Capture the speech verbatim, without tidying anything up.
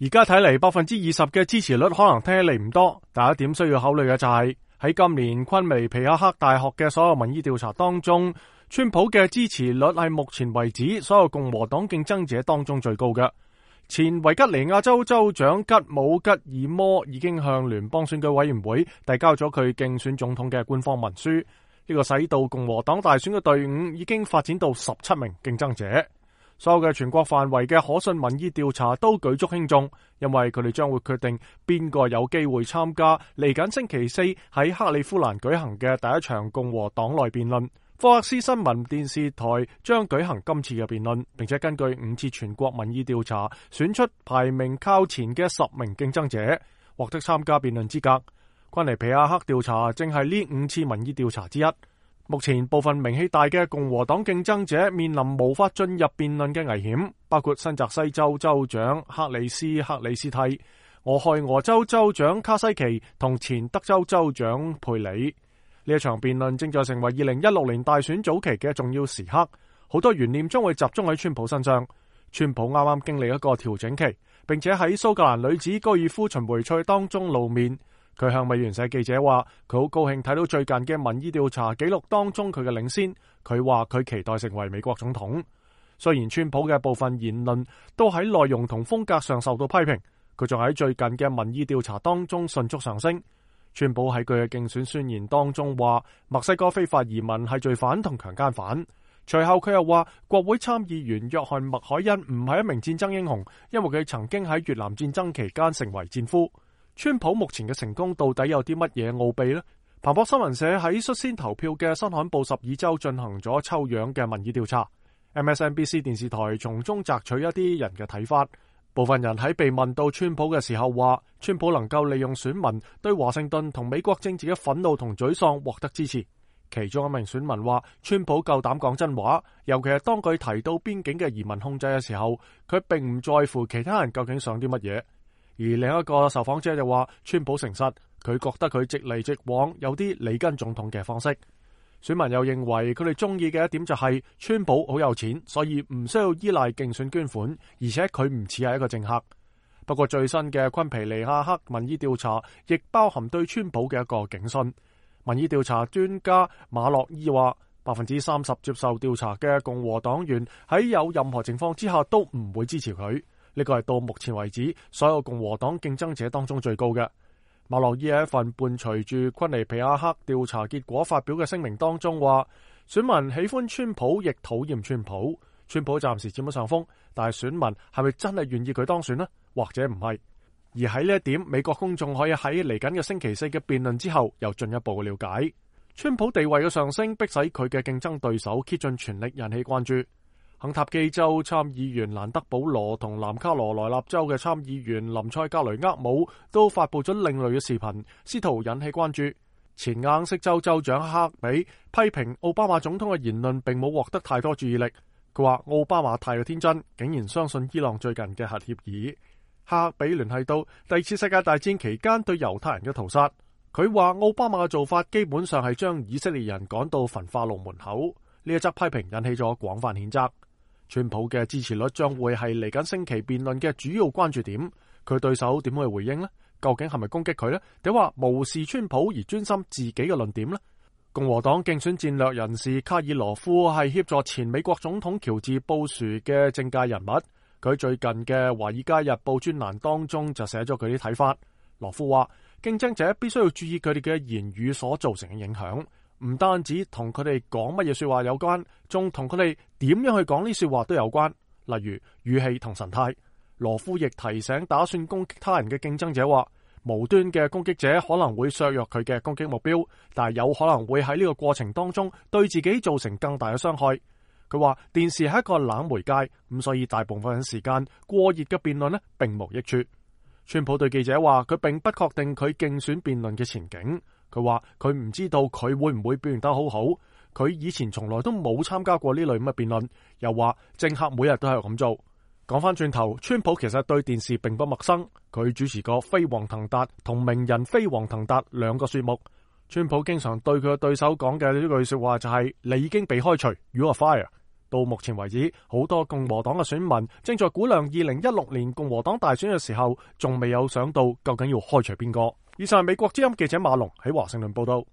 而家睇嚟，百分之二十嘅支持率可能聽起嚟唔多，但一點需要考慮嘅就係、是、喺今年昆尼皮亞克大學嘅所有民意調查當中，川普嘅支持率係目前為止所有共和黨競爭者當中最高嘅。前維吉尼亞州州長吉姆吉爾摩已經向聯邦選舉委員會遞交咗佢競選總統嘅官方文書，呢、這個使到共和黨大選嘅隊伍已經發展到十七名競爭者。所有嘅全國範圍嘅可信民意調查都舉足輕重，因為佢哋將會決定邊個有機會參加嚟緊星期四喺克利夫蘭舉行嘅第一場共和黨內辯論。福克斯新聞電視台將舉行今次嘅辯論，並且根據五次全國民意調查選出排名靠前嘅十名競爭者，獲得參加辯論資格。昆尼皮亞克調查正係呢五次民意調查之一。目前部分名氣大嘅共和黨競爭者面臨無法進入辯論嘅危險，包括新澤西州州長克里斯克里斯蒂、俄亥俄州州長卡西奇同前德州州長佩里。呢一場辯論正在成為二零一六年大選早期嘅重要時刻，好多懸念將會集中喺川普身上。川普啱啱經歷一個調整期，並且喺蘇格蘭女子高爾夫巡迴賽當中露面。佢向美聯社記者話，佢好高興睇到最近嘅民意調查記錄當中佢嘅領先。佢話佢期待成為美國總統。雖然川普嘅部分言論都喺內容同風格上受到批評，佢仲喺最近嘅民意調查當中迅速上升。川普喺佢嘅競選宣言當中話，墨西哥非法移民係罪犯同強姦犯。隨後佢又話，國會參議員約翰麥凱恩唔係一名戰爭英雄，因為佢曾經喺越南戰爭期間成為戰俘。川普目前嘅成功到底有啲乜嘢奧秘呢？彭博新聞社喺率先投票嘅新罕布什爾州進行咗抽樣嘅民意調查。M S N B C 電視台從中摘取一啲人嘅睇法。部分人喺被問到川普嘅時候話，川普能夠利用選民對華盛頓同美國政治嘅憤怒同沮喪獲得支持。其中一名選民話，川普夠膽講真話，尤其係當佢提到邊境嘅移民控制嘅時候，佢並唔在乎其他人究竟想啲乜嘢。而另一個受訪者就話，川普誠實，佢覺得佢直嚟直往，有啲里根總統嘅方式。選民又認為佢哋中意嘅一點就係川普好有錢，所以唔需要依賴競選捐款，而且佢唔似係一個政客。不過最新嘅昆皮尼亞克民意調查亦包含對川普嘅一個警訊。民意調查專家馬洛伊話，百分之三十接受調查嘅共和黨員喺有任何情況之下都唔會支持佢。呢個係到目前為止所有共和黨競爭者當中最高嘅。馬洛伊喺一份伴隨住昆尼皮亞克調查結果發表嘅聲明當中話，選民喜歡川普，亦討厭川普。川普暫時佔咗上風，但係選民係咪真係願意佢當選呢？或者唔係？而喺呢一點，美國公眾可以喺嚟緊嘅星期四嘅辯論之後，又進一步嘅了解。川普地位嘅上升，迫使佢嘅競爭對手竭盡全力引起關注。肯塔基州參議員蘭德保羅同南卡羅來納州嘅參議員林塞格雷厄姆都發佈咗另類嘅視頻，試圖引起關注。前硬色州州長克比批評奧巴馬總統嘅言論並冇獲得太多注意力。佢話奧巴馬太過天真，竟然相信伊朗最近嘅核協議。克比聯繫到第二次世界大戰期間對猶太人嘅屠殺，佢話奧巴馬嘅做法基本上係將以色列人趕到焚化爐門口。呢一則批評引起咗廣泛譴責。川普嘅支持率將會係嚟緊星期辯論嘅主要關注點，佢對手點會回應呢？究竟係咪攻擊佢呢？定話無視川普而專心自己嘅論點呢？共和黨競選戰略人士卡爾羅夫係協助前美國總統喬治布殊嘅政界人物，佢最近嘅《華爾街日報》專欄當中就寫咗佢啲睇法。羅夫話，競爭者必須要注意佢哋嘅言語所造成嘅影響。唔單止同佢哋講乜嘢說話有關，仲同佢哋點樣去講呢說話都有關，例如語氣同神態。羅夫亦提醒打算攻擊他人嘅競爭者話，無端嘅攻擊者可能會削弱佢嘅攻擊目標，但係有可能會喺呢個過程當中對自己造成更大嘅傷害。佢話電視係一個冷媒介，咁所以大部分時間過熱嘅辯論呢並無益處。川普對記者話，佢並不確定佢競選辯論嘅前景。佢話佢唔知道佢會唔會表現得好好，佢以前從來都冇參加過呢類咁嘅辯論，又話政客每日都係咁做。講翻轉頭，川普其實對電視並不陌生，佢主持過飛黃騰達同名人飛黃騰達兩個節目。川普經常對佢嘅對手講嘅呢句說話就係、是、你已經被開除 ，You are fired。到目前為止，好多共和黨嘅選民正在估量二零一六年共和黨大選嘅時候，仲未有想到究竟要開除邊個。以上係美國之音記者馬龍喺華盛頓報道。